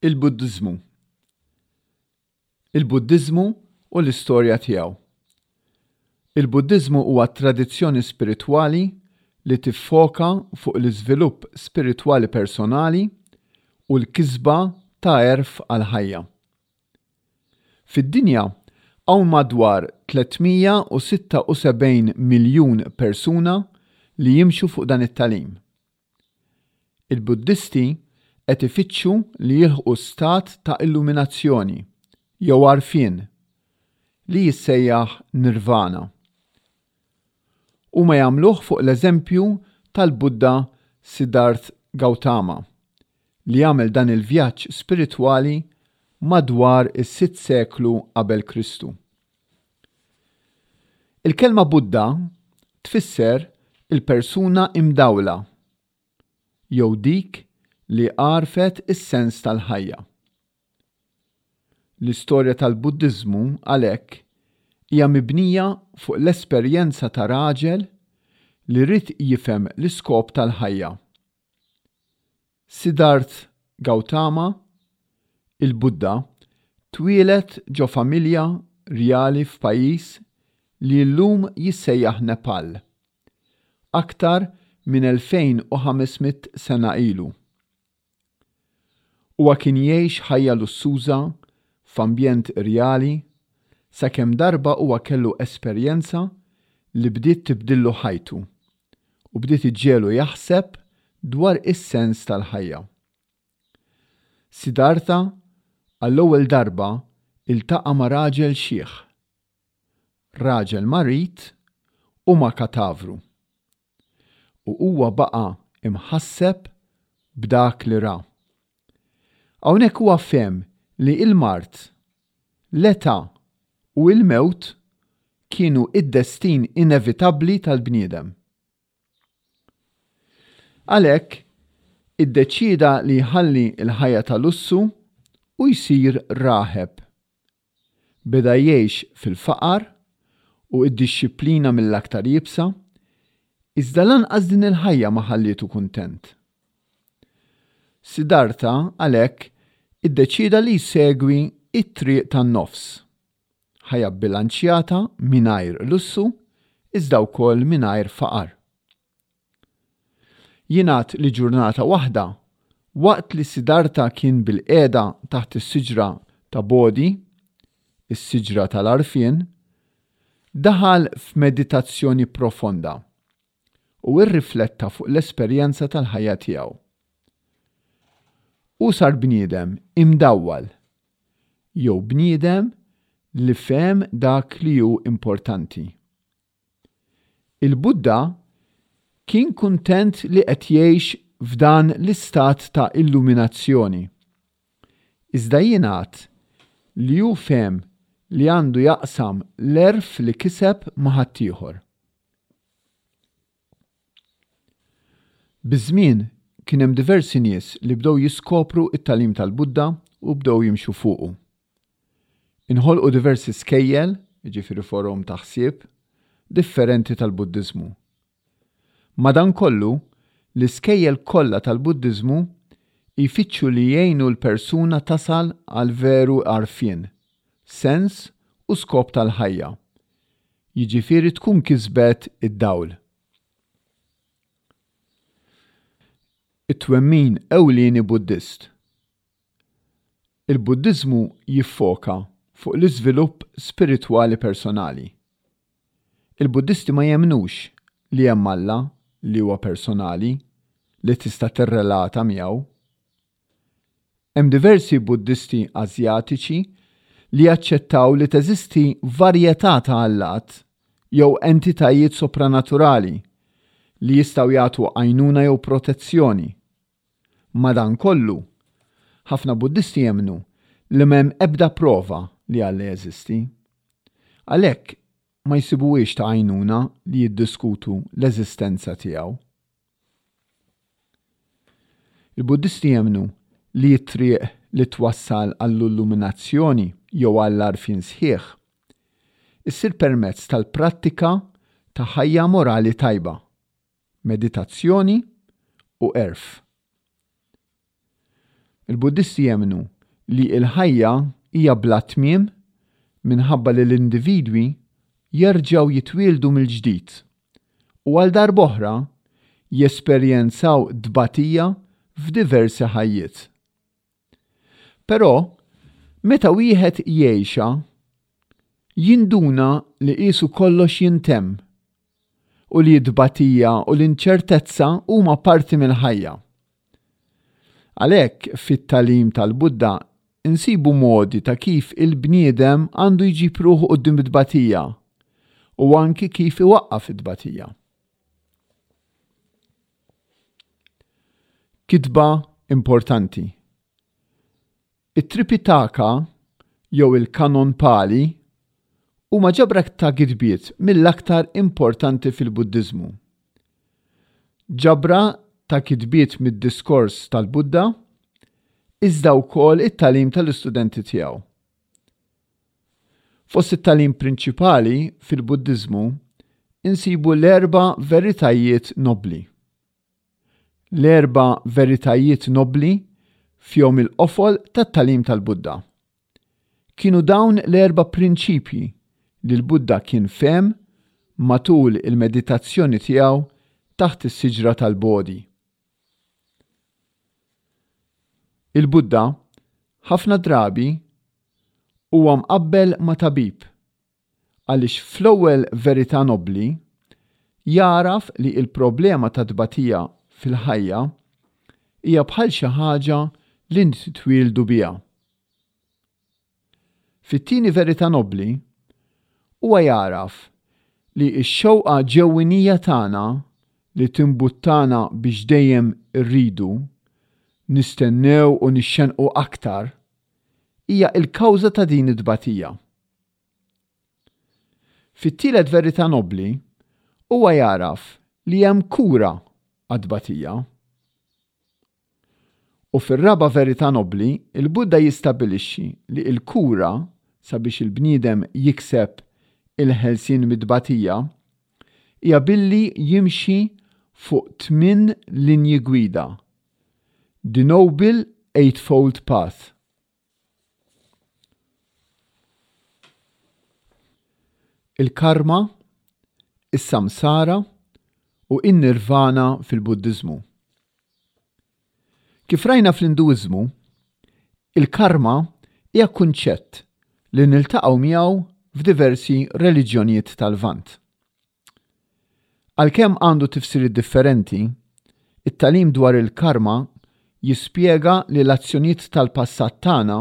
Il-Buddiżmu Il-Buddiżmu u l-istorja tiegħu Il-Buddiżmu huwa tradizzjoni spiritwali li tiffoka fuq l-iżvilupp spiritwali personali u l-kisba ta' għerf għall-ħajja. Fid-dinja hawn madwar 376 miljun persuna li jimxu fuq dan it-tagħlim. Il-Buddisti qed ifittxu li jilħqu stat ta' illuminazzjoni, jew għarfien, li jissejjaħ nirvana. Huma jagħmluh fuq l-eżempju tal-Buddha Siddharth Gautama, li għamel dan il-vjaġġ spiritwali madwar is-sitt seklu qabel Kristu. Il-kelma Buddha tfisser il-persuna imdawla jew dik li għarfet is-sens tal-ħajja. L-istorja tal-Buddiżmu għalhekk hija mibnija fuq l-esperjenza ta' raġel li ried jifhem l-iskop tal-ħajja. Siddharth Gautama, il-Buddha, twieled ġo familja rjali f'pajjiż li llum jissejjaħ Nepal, aktar minn 2,500 sena ilu. Huwa kien jgħix ħajja lussuża f'ambjent rjali sakemm darba huwa kellu esperjenza li bdiet tibdillu ħajtu u bdiet iġġegħlu jaħseb dwar is-sens tal-ħajja. Siddhartha għall-ewwel darba ltaqa' ma' raġel xiħ, raġel marid u ma' katavru. U huwa baqa' imħasseb b'dak li ra. Hawnhekk huwa fehem li l-mard, l-età u l-mewt kienu d-destin inevitabbli tal-bniedem. Għalhekk, iddeċieda li jħalli l-ħajja ta' lussu u jsir raħeb. Beda jgħix fil-faqar u d-dixxiplina mill-aktar iebsa, iżda lanqas din il-ħajja ma ħallietu kuntent. Siddhartha għalhekk iddeċieda li jsegwi t-triq tan-nofs, ħajja bbilanċjata mingħajr lussu iżda wkoll mingħajr faqar. Jingħad li ġurnata waħda, waqt li Siddhartha kien bilqiegħda taħt is-siġra ta' Bodhi, is-siġra tal-għarfien, daħal f'meditazzjoni profonda u rrifletta fuq l-esperjenza tal-ħajja tiegħu. Hu sar bniedem imdawwal, jew bniedem li fehem dak li hu importanti. Il-Buddha kien kuntent li qed jgħix f'dan l-istat ta' illuminazzjoni. Iżda jingħad li hu fehem li għandu jaqsam l-għerf li kiseb ma' ħaddieħor. Biż-żmien kien hemm diversi nies li bdew jiskopru t-tagħlim tal-Buddha u bdew jimxu fuqu. Inħolqu diversi skejjel, jiġifieri forom ta' ħsieb, differenti tal-Buddiżmu. Madankollu, l-iskejjel kollha tal-Buddiżmu jfittxu li jgħinu l-persuna tasal għal veru għarfien, sens u skop tal-ħajja, jiġifieri tkun kisbet id-dawl. It-twemmin ewlieni Buddist. Il-Buddiżmu jiffoka fuq l-iżvilupp spiritwali personali. Il-Buddisti ma jemmnux li hemm Alla li huwa personali li tista' tirrelata miegħu. Hemm diversi Buddisti Asjatiċi li jaċċettaw li teżisti varjetà ta' allat jew entitajiet sopranaturali li jistgħu jagħtu għajnuna jew protezzjoni. Madankollu, ħafna Buddisti jemmnu li m'hemm ebda prova li Alla jeżisti. Għalhekk, ma jsibuhiex ta' għajnuna li jiddiskutu l-eżistenza tiegħu. Il-Buddisti jemmnu li t-triq li twassal għall-illuminazzjoni jew għall-għarfien sħiħ issir permezz tal-prattika ta' ħajja morali tajba. meditazzjoni u għerf. Il-Buddisti jemmnu li l-ħajja hija bla tmiem minħabba li l-individwi jerġgħu jitwieldu mill-ġdid u għal darb'oħra jesperjenzaw tbatija f'diversi ħajjiet. Però, meta wieħed jgħixha, jinduna li qiesu kollox jintemm u li t-tbatija u l-inċertezza huma parti mill-ħajja. Għalhekk, fit-tagħlim tal-Buddha nsibu modi ta' kif il-bniedem għandu jġib ruħu quddiem it-tbatija u anki kif iwaqqaf it-tbatija. Kitba importanti. It-Tripitaka jew il-Kanon Pali huma ġabra ta' kitbiet mill-aktar importanti fil-Buddiżmu. Ġabra ta' kitbiet mid-diskors tal-Buddha, iżda wkoll it-tagħlim tal-istudenti tiegħu. Fost it-tagħlim prinċipali fil-Buddiżmu insibu l-erba' veritajiet nobbli. L-erba' veritajiet nobbli fihom il-qofol tat-tagħlim tal-Buddha. Kienu dawn l-erba' prinċipji li l-Buddha kien fehem matul il-meditazzjoni tiegħu taħt is-siġra tal-Bodhi. Il-Buddha ħafna drabi huwa mqabbel ma' tabib għaliex fl-ewwel verità nobbli jagħraf li l-problema tat-tbatija fil-ħajja hija bħal xi ħaġa li nitwieldu biha. Fit-tieni verità nobbli, huwa jagħraf li x-xewqa ġewwinija tagħna li timbuttana biex dejjem irridu, nistennew u nixxennqu aktar, hija l-kawża ta' din it-tbatija. Fit-tielet verità nobbli, huwa jagħraf li hemm kura għat-tbatija. U fir-raba' verità nobbli, il-Buddha jistabbilixxi li l-kura sabiex il-bniedem jikseb il-ħelsien mit-tbatija hija billi jimxi fuq tminn linji gwida, the Noble Eightfold Path. Il-karma, is-samsara u n-nirvana fil-Buddiżmu. Kif rajna fl-Induiżmu, il-karma hija kunċett li niltaqgħu miegħu f'diversi reliġjonijiet tal-Lvant. Għalkemm għandu tifsiriet differenti, it-tagħlim dwar il-karma jispjega li l-azzjonijiet tal-passat tagħna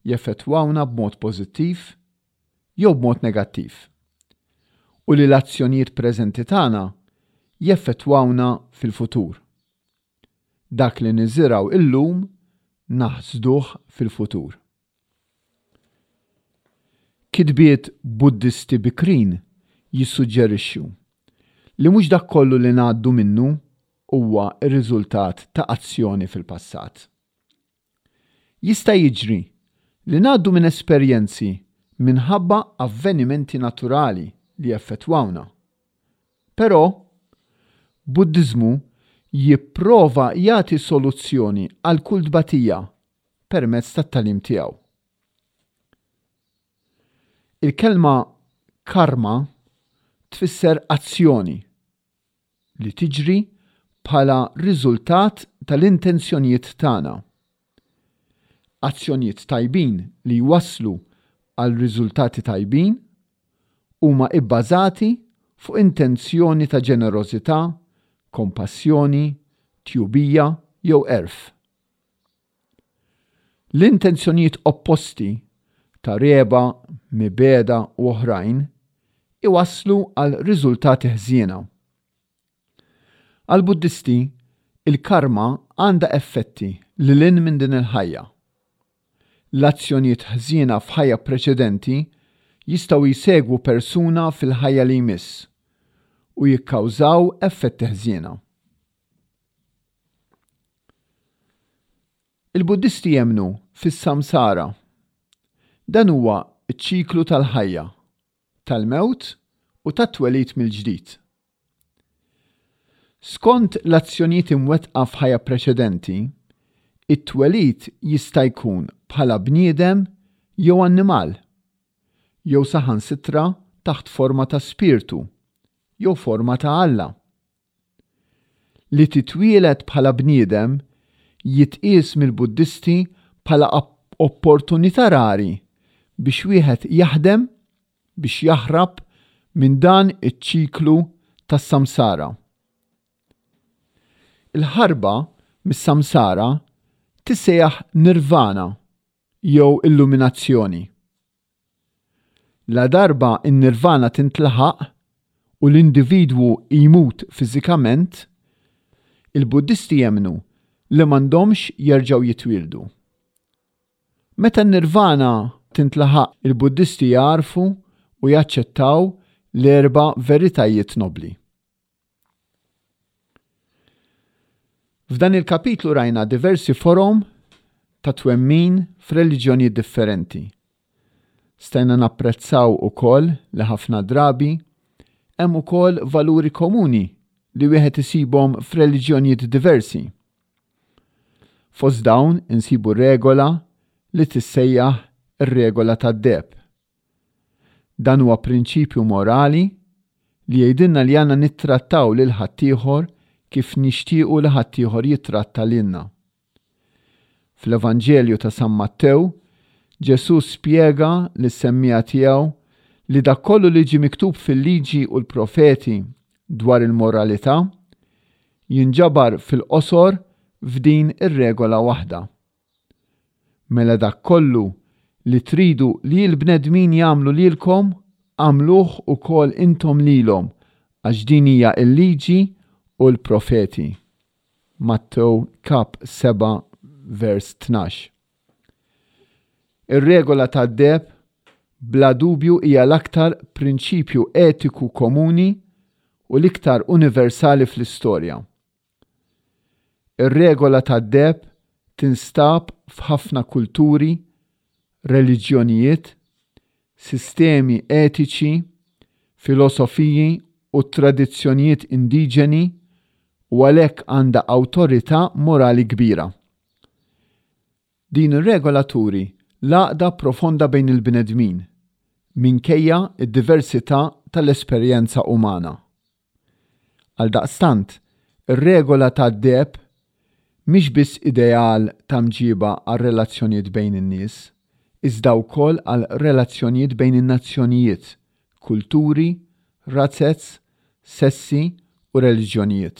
jeffettwawna b'mod pożittiv jew b'mod negattiv, u li l-azzjonijiet preżenti tagħna jeffettwawna fil-futur. Dak li niżirgħu illum naħsduh fil-futur. Kitbiet Buddisti bikrin jissuġġerixxu li mhux dak kollu li ngħaddu minnu huwa r-riżultat ta' azzjoni fil-passat. Jista' jiġri li ngħaddu minn esperjenzi minħabba avvenimenti naturali li jeffettwawna. Però, Buddiżmu jipprova jagħti soluzzjoni għal kull tbatija permezz tat-tagħlim tiegħu. Il-kelma karma tfisser azzjoni li tiġri bħala riżultat tal-intenzjonijiet tagħna. Azzjonijiet tajbin li jwasslu għal riżultati tajbin huma ibbażati fuq intenzjoni ta' ġenerożità, kompassjoni, tjubija jew għerf. L-intenzjonijiet opposti ta' regħba, mibegħda u oħrajn iwasslu għal riżultati ħżiena. Għall-Buddisti, il-karma għandha effetti lil hinn minn din il-ħajja. L-azzjonijiet ħżiena f'ħajja preċedenti jistgħu jsegwu persuna fil-ħajja li jmiss u jikkawżaw effetti ħżiena. Il-Buddisti jemmnu fis-samsara. Dan huwa ċ-ċiklu tal-ħajja, tal-mewt u tat-twelid mill-ġdid. Skont l-azzjonijiet imwettqa f'ħajja preċedenti, It-twelid jista' jkun bħala bniedem jew annimal, jew saħansitra taħt forma ta' spirtu jew forma ta' Alla. Li titwieled bħala bniedem jitqies mill-Buddisti bħala opportunità rari biex wieħed jaħdem biex jaħrab minn dan iċ-ċiklu tas-samsara. Il-ħarba mis-samsara tissejjaħ nirvana jew illuminazzjoni. Ladarba n-nirvana tintlaħaq u l-individwu jmut fiżikament, il-Buddisti jemmnu li m'għandhomx jerġgħu jitwieldu. Meta n-nirvana tintlaħaq il-Buddisti jagħrfu u jaċċettaw l-erba' veritajiet nobbli. F'dan il-kapitlu rajna diversi forom ta' twemmin f'reliġjonijiet differenti. Stajna napprezzaw ukoll li ħafna drabi hemm ukoll valuri komuni li wieħed isibhom f'reliġjonijiet diversi. Fost dawn insibu regola li tissejjaħ ir-regola tad-deheb. Dan huwa prinċipju morali li jgħidilna li għandna nittrattaw lil ħaddieħor kif nixtiequ li ħaddieħor jittratta lilna. Fl-Evanġelju ta' San Mattew, Ġesù spjega lis-semmiegħa tiegħu li dak kollu li ġie miktub fil-Liġi u l-Profeti dwar il-moralità jinġabar fil-qosor f'din ir-regola waħda. Mela dak kollu li tridu li l-bnedmin jagħmlu lilkom, agħmluh ukoll intom lilhom, għax din hija l-liġi u l-profeti. Mattew kap 7 vers 12. Ir-regola tad-deheb bla dubju hija l-aktar prinċipju etiku komuni u l-iktar universali fl-istorja. Ir-regola tad-deheb tinstab f'ħafna kulturi, reliġjonijiet, sistemi etiċi, filosofiji u tradizzjonijiet indiġeni u għalhekk għandha awtorità morali kbira. Din ir-regola turi l-għaqda profonda bejn il-bnedmin, minkejja d-diversità tal-esperjenza umana. Għaldaqstant, ir-regola tad-deheb mhix biss ideal ta' mġiba għar-relazzjonijiet bejn in-nies, iżda wkoll għal relazzjonijiet bejn in-nazzjonijiet, kulturi, razez, sessi u reliġjonijiet.